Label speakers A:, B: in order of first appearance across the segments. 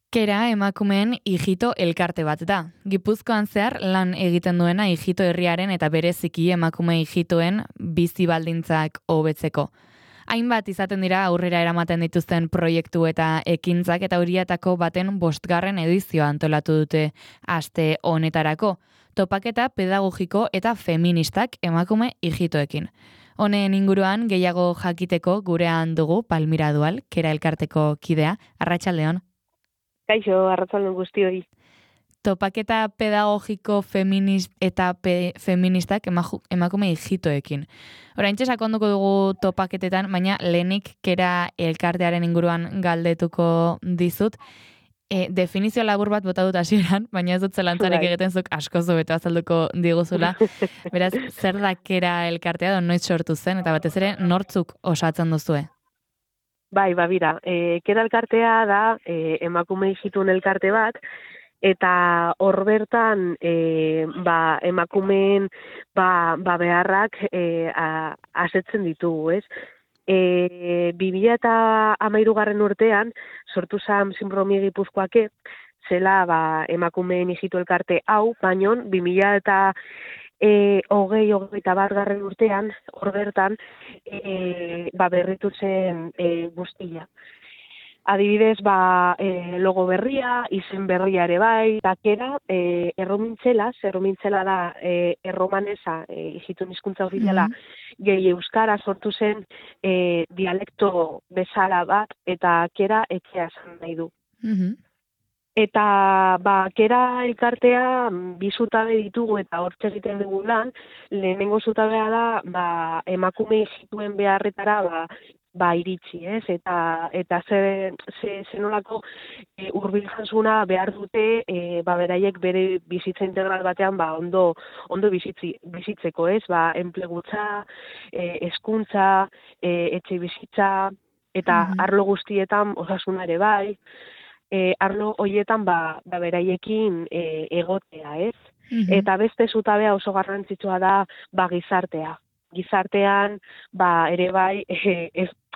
A: Kera emakumeen Ijito elkarte bat da. Gipuzkoan zehar lan egiten duena Ijito herriaren eta bereziki emakume ijitoen bizi baldintzak hobetzeko. Hainbat izaten dira aurrera eramaten dituzten proiektu eta ekintzak eta horietako baten 5. edizioa antolatu dute aste honetarako. Topaketa pedagogiko eta feministak emakume ijitoekin. Honen inguruan gehiago jakiteko gurean dugu Palmira Dual, Kera elkarteko kidea. Arratsaldeon.
B: Kaixo, arratsalde guztioi.
A: Topaketa pedagogiko feministak emakume ijitoekin. Oraintxe sakonduko dugu topaketetan, baina lehenik Kera elkartearen inguruan galdetuko dizut. Definizio labur bat bota dut hasieran, baina ez dut zelantzarik egiten zuk asko hobeto azalduko diguzula. Beraz, zer da Kera elkartea, edo noiz sortu zen, eta batez ere nortzuk osatzen duzue?
B: Bai, bira, Kera elkartea da emakume ijitun elkarte bat, eta hor bertan emakumeen beharrak asetzen ditugu, ez? 2013 urtean sortu zen Sinpromi Gipuzkoake, zela emakumeen ijitu elkarte hau, baino 2021 urtean, hor bertan, berritu zen guztia. Adibidez, logo berria, izen berria ere bai, eta Kera erromintzela da erromanesa, ijitun hizkuntza ofiziala, gehi euskara sortu zen dialekto bezala bat, eta Kera etxea esan nahi du. Eta Kera elkartea bi zutabe ditugu eta hortxe egiten dugu lan, lehenengo zutabea da emakume ijituen beharretara iritsi, ez? Eta zenolako hurbiltasuna behar dute beraiek bere bizitza integral batean ondo bizitzeko, ez? Enplegutza, hezkuntza, etxe bizitza, eta arlo guztietan osasuna ere bai, arlo horietan beraiekin egotea, ez? Eta beste zutabea oso garrantzitsua da gizartea. Gizartean ere bai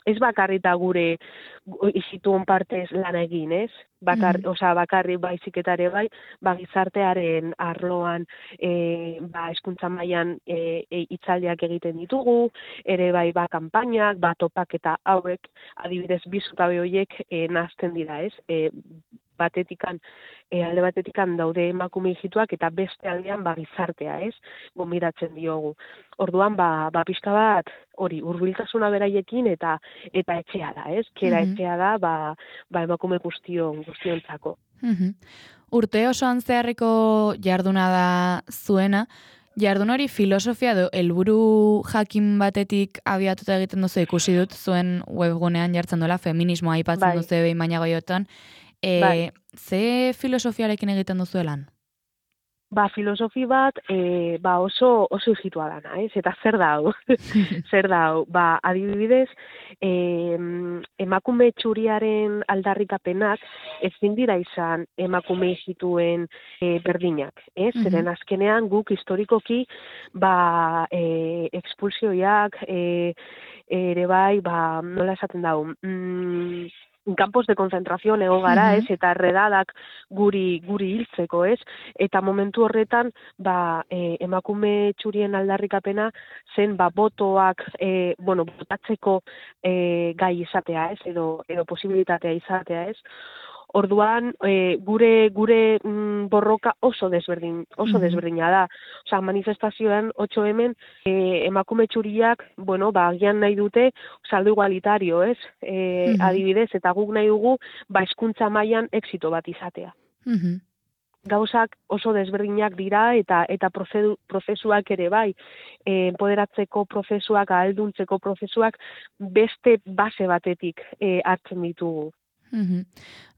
B: ez bakarrita gure ijitun partez lan egin, ez? Bakarri baizik eta ere bai, gizartearen arloan hezkuntza mailan hitzaldiak egiten ditugu, ere bai kanpainak, topaketa hauek, adibidez bi zutabe horiek nahazten dira, ez? Alde batetikan daude emakume ijituak eta beste aldean gizartea, ez? Gonbidatzen diogu. Orduan, pixka bat hori, hurbiltasuna beraiekin eta etxea da, ez? Kera etxea da, emakume guztiontzako.
A: Urte osoan zeharreko jarduna da zuena, jardun hori filosofia edo helburu jakin batetik abiatuta egiten duzu, ikusi dut zuen webgunean jartzen duela, feminismoa aipatzen duzu behin baina goiotan. Ze filosofiarekin egiten duzu lan?
B: Filosofi bat oso ijitua dana, ez? Eta zer da hau? Zer da hau? Adibidez, emakume txuriaren aldarrikapenak ezin dira izan emakume ijituen berdinak, ez? Zeren azkenean guk historikoki expulsioiak ere bai, nola esaten dau, campos de concentración egon gara, ez? Eta redadak guri hiltzeko, ez? Eta momentu horretan, emakume txurien aldarrikapena zen, botoak, botatzeko gai izatea, ez? Edo posibilitatea izatea, ez? Orduan, gure borroka oso desberdina da. Osa, manifestazioan, 8M, emakume txuriak, agian nahi dute, saldo igualitario, ez? Adibidez, eta guk nahi dugu, hezkuntza mailan exito bat izatea. Gauzak oso desberdinak dira eta prozesuak ere bai, empoderatzeko prozesuak, ahalduntzeko prozesuak, beste base batetik hartzen ditugu.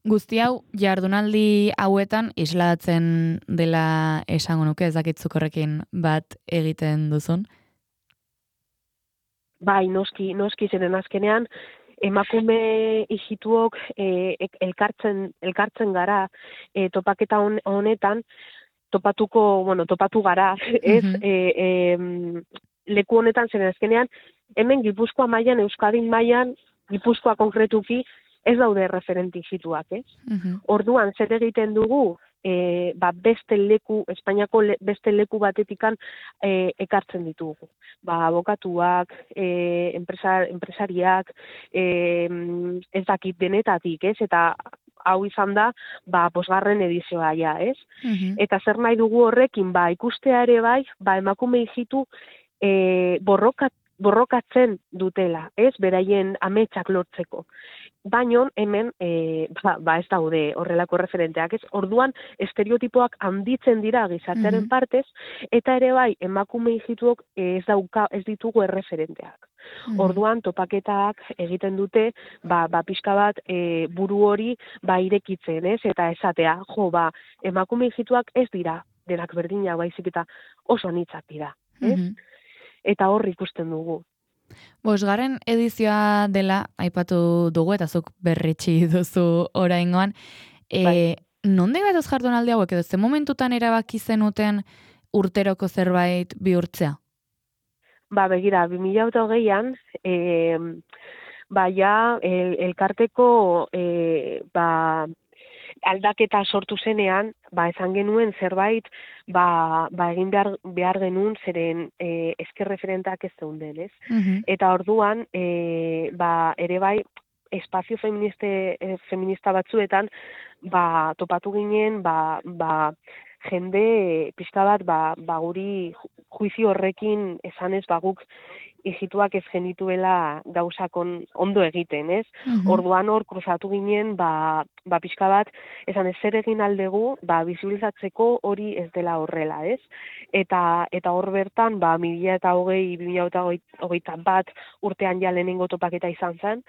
A: Guzti hau, jardunaldi hauetan islatzen dela esango nuke, ez dakitzuk horrekin bat egiten duzun?
B: Bai, noski zeren azkenean, emakume ijituok elkartzen gara topaketa honetan, topatu gara, ez? Leku honetan zeren azkenean, hemen Gipuzkoa mailan, Euskadin mailan, Gipuzkoa konkretuki, ez daude referente hijituak, ez? Orduan, zer egiten dugu, beste leku, Espainiako beste leku batetikan ekartzen ditugu. Abokatuak, enpresariak, ez dakit denetatik, ez? Eta hau izan da, 5. edizioa ja, ez? Eta zer nahi dugu horrekin, ikustea ere bai, emakume hijitu borrokatzen dutela, ez? Beraien ametsak lortzeko. Baina hemen ez daude horrelako referenteak, ez? Orduan estereotipoak handitzen dira gizartearen partez, eta ere bai emakume hijituok ez ditugu erreferenteak. Orduan topaketak egiten dute, pixka bat buru hori irekitzen, ez? Eta esatea, emakume hijituak ez dira denak berdinak, baizik eta oso anitzak dira, ez? Eta hor ikusten dugu.
A: 5. edizioa dela, aipatu dugu, eta zuk berritsi duzu oraingoan. Nonde gatoz jardunaldi hauek, edo ze momentutan erabaki zenuten urteroko zerbait bihurtzea?
B: Begira, 2008an, elkarteko aldaketa sortu zenean, esan genuen zerbait, egin behar genuen zeren esker referentak ez zeunden, ez? Eta orduan, ere bai, espazio feminista batzuetan, topatu ginen, jende pixka bat, guri juizio horrekin esanez, guk hijituak ez genituela gauzakon ondo egiten, ez? Orduan hor kruzatu ginen, pixka bat, esan ez zer egin aldegu, bizibilizatzeko hori ez dela horrela, ez? Eta hor bertan, 2020-2021 urtean ja lehenengo topaketa izan zen,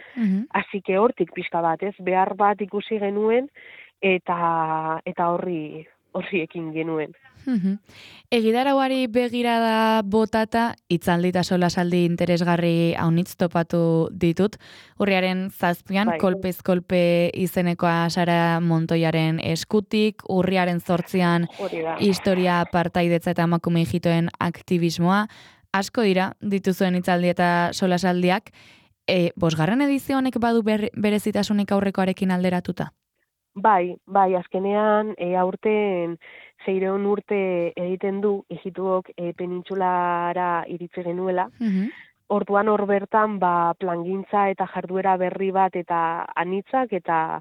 B: hasi que hortik pixka bat, ez? Behar bat ikusi genuen, eta horri ekin genuen.
A: Egitarauari begirada botata, hitzaldi eta solasaldi interesgarri haunitz topatu ditut. Urriaren 7, kolpez kolpe izenekoa Sara Montoiaren eskutik, urriaren 8 historia partaidetza eta emakume hijitoen aktivismoa. Asko dira, dituzuen hitzaldi eta solasaldiak. 5. edizio honek badu berezitasunik aurrekoarekin alderatuta?
B: Bai, azkenean aurten 600 urte egiten du hijituok penintsulara iritsi genuela. Orduan hor bertan plangintza eta jarduera berri bat eta anitzak eta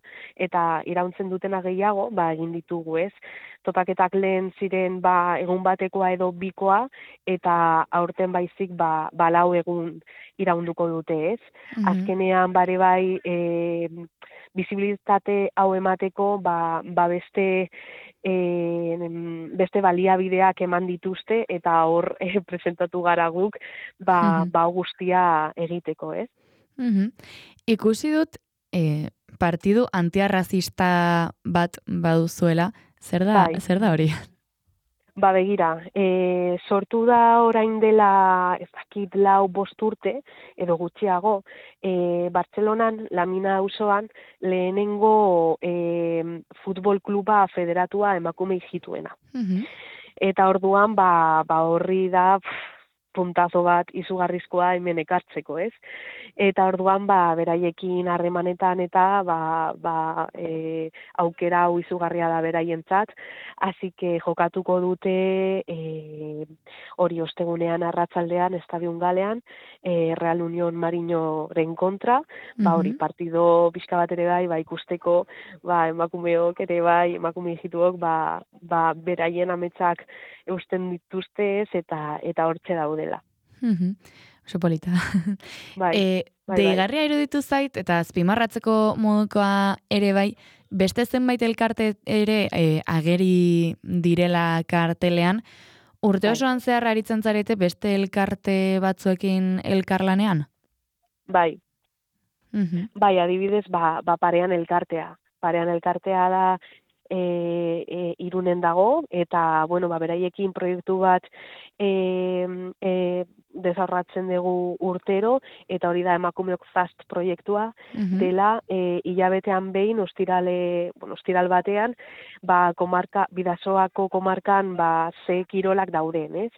B: irauntzen dutena gehiago egin ditugu, ez? Topaketak lehen ziren egun batekoa edo bikoa eta aurten baizik 4 egun iraunduko dute, ez? Azkenean bare bai bizibilitate hau emateko beste baliabideak eman dituzte eta hor presentatu gara guk guztia egiteko, ez?
A: Ikusi dut partidu antiarrazista bat baduzuela, zer da hori?
B: Begira, sortu da orain dela, ez dakit 4-5 urte, edo gutxiago, Bartzelonan, Lamina auzoan, lehenengo futbol kluba federatua emakume hijituena. Eta orduan, horri da puntazo bat izugarrizkoa hemen ekartzeko, ez? Eta orduan, beraiekin harremanetan eta aukera hau izugarria da beraientzat, hasi que jokatuko dute hori ostegunean arratsaldean Estadion Galean, Real Unión Marinoren kontra, hori partido pixka bat ere bai, ikusteko, emakumeok ere bai, emakume hijituok, beraien ametsak eusten dituzte ez, eta hortxe daudela.
A: Oso polita. Deigarria iruditu zait, eta azpimarratzeko modukoa ere bai, beste zenbait elkarte ere ageri direla kartelean, urte osoan zehar aritzen zarete beste elkarte batzuekin elkarlanean?
B: Bai, adibidez, parean elkartea. Parean elkartea da Irunen dago, eta, bueno, beraiekin proiektu bat desarrollatzen dugu urtero, eta hori da Emakumeok Fast proiektua, dela hilabetean behin ostiral batean, Bidasoako komarkan ze kirolak dauden, ez?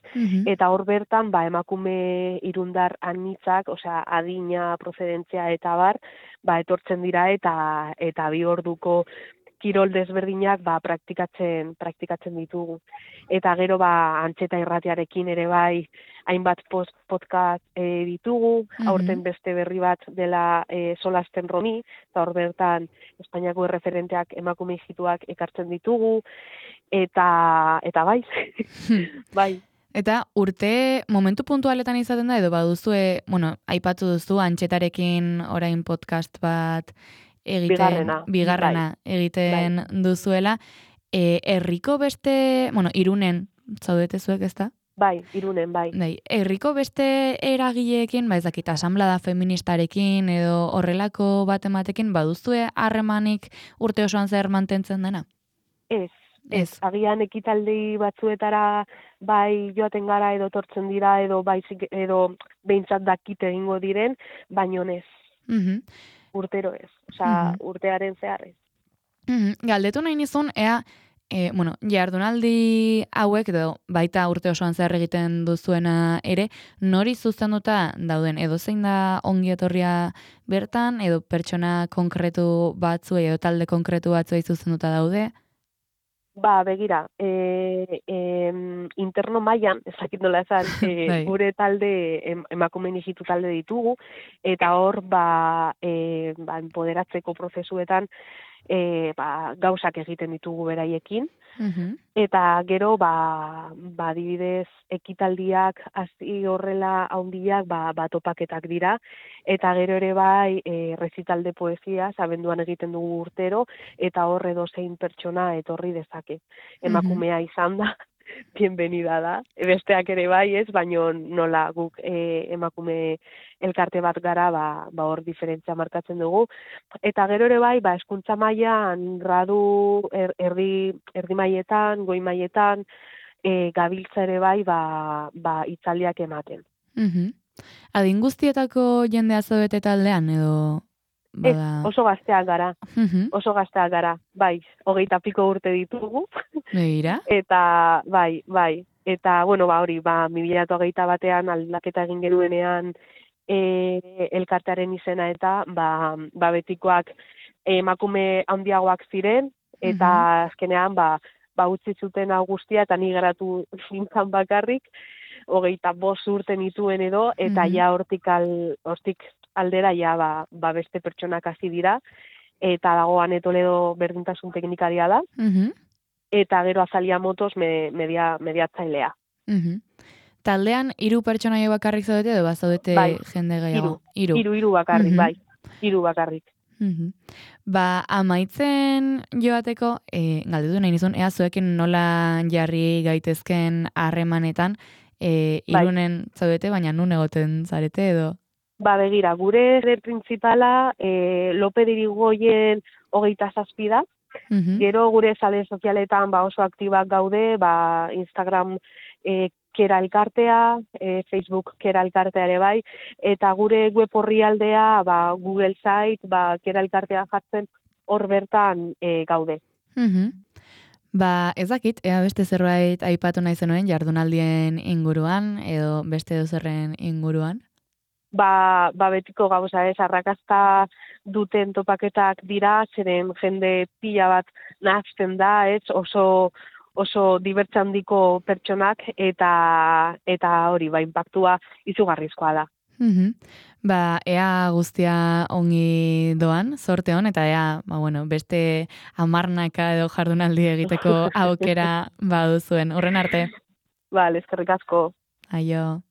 B: Eta hor bertan emakume irundar anitzak, osea adina, prozedentzia eta bar, etortzen dira eta 2 orduko kirol desberdinak praktikatzen ditugu. Eta gero Antxeta Irratiarekin ere bai hainbat podcast ditugu, aurten beste berri bat dela Solasten Romi, eta hor bertan Espainiako erreferenteak emakume ijituak ekartzen ditugu, eta bai, bai.
A: Eta urte momentu puntualetan izaten da, edo baduzue, aipatu duzu Antxetarekin orain podcast bat bigarrena egiten duzuela, herriko beste, Irunen zaudete zuek, ezta?
B: Bai, Irunen, bai.
A: Herriko beste eragileekin, ez dakit, asamblada feministarekin edo horrelako bat ematekin, baduzue harremanik urte osoan zer mantentzen dena?
B: Ez. Agian ekitaldi batzuetara bai joaten gara edo tortzen dira edo behintzat dakit egingo diren, baino ez. Urtero ez. Osea, urtearen zehar ez.
A: Galdetu nahi nizun, ea, jardunaldi hauek edo baita urte osoan zehar egiten duzuena ere, nori zuzenduta dauden, edo zein da ongi etorria bertan, edo pertsona konkretu batzuei, edo talde konkretu batzuei zuzenduta daude?
B: Begira, interno mailan, ezakit nola esan, gure talde, emakumeen ijitu talde ditugu, eta hor, empoderatzeko prozesuetan, gauzak egiten ditugu beraiekin, eta gero, adibidez, ekitaldiak hasi horrela handiak, topaketak dira, eta gero ere bai, rezital de poesia, abenduan egiten dugu urtero, eta hor edozein pertsona etorri dezake. Emakumea izan da, bienvenida da. Besteak ere bai ez, baino nola guk emakume elkarte bat gara, hor diferentzia markatzen dugu. Eta gero ere bai, hezkuntza mailan gradu erdi mailetan, goi mailetan, gabiltza ere bai, hitzaldiak ematen.
A: Adin guztietako jendea zaudete taldean, edo...
B: Ez, oso gazteak gara, bai, 20 piko urte ditugu.
A: Begira?
B: Eta, bai, eta, hori, 2021 aldaketa egin genuenean elkartearen izena eta, betikoak emakume handiagoak ziren, eta azkenean, utzi zuten hau guztia, eta ni geratu zintzan bakarrik, 25 urte nituen edo, eta ja hortik aldera beste pertsonak hasi dira, eta dagoan Toledo berdintasun teknikaria da, eta gero Azalia Motos mediatzailea.
A: Taldean 3 pertsonaia bakarrik zaudete edo bazaudete jende gehiago?
B: 3 bakarrik, bai. 3 bakarrik.
A: Amaitzen joateko, galdetu nahi nizun, ea zuekin nola jarri gaitezken harremanetan, Irunen zaudete, baina nun egoten zarete edo?
B: Begira, gure principala Lope de Irigoyen 27 da. Gero gure sare sozialetan oso aktibak gaude, Instagram Kera Elkartea, Facebook Kera Elkartea ere bai, eta gure web orrialdea Google Site, Kera Elkartea jartzen hor bertan gaude.
A: Ez dakit, ea beste zerbait aipatu nahi zenuen jardunaldien inguruan, edo beste dozerren inguruan?
B: Betiko gauza ez, arrakasta duten topaketak dira, zeren jende pila bat nahazten da, ez, oso dibertsa handiko pertsonak, eta hori, inpaktua izugarrizkoa da.
A: Ea guztia ongi doan, zorte hon, eta ea, beste 10 edo jardunaldi egiteko aukera baduzuen. Horren arte.
B: Eskerrik asko.
A: Aio.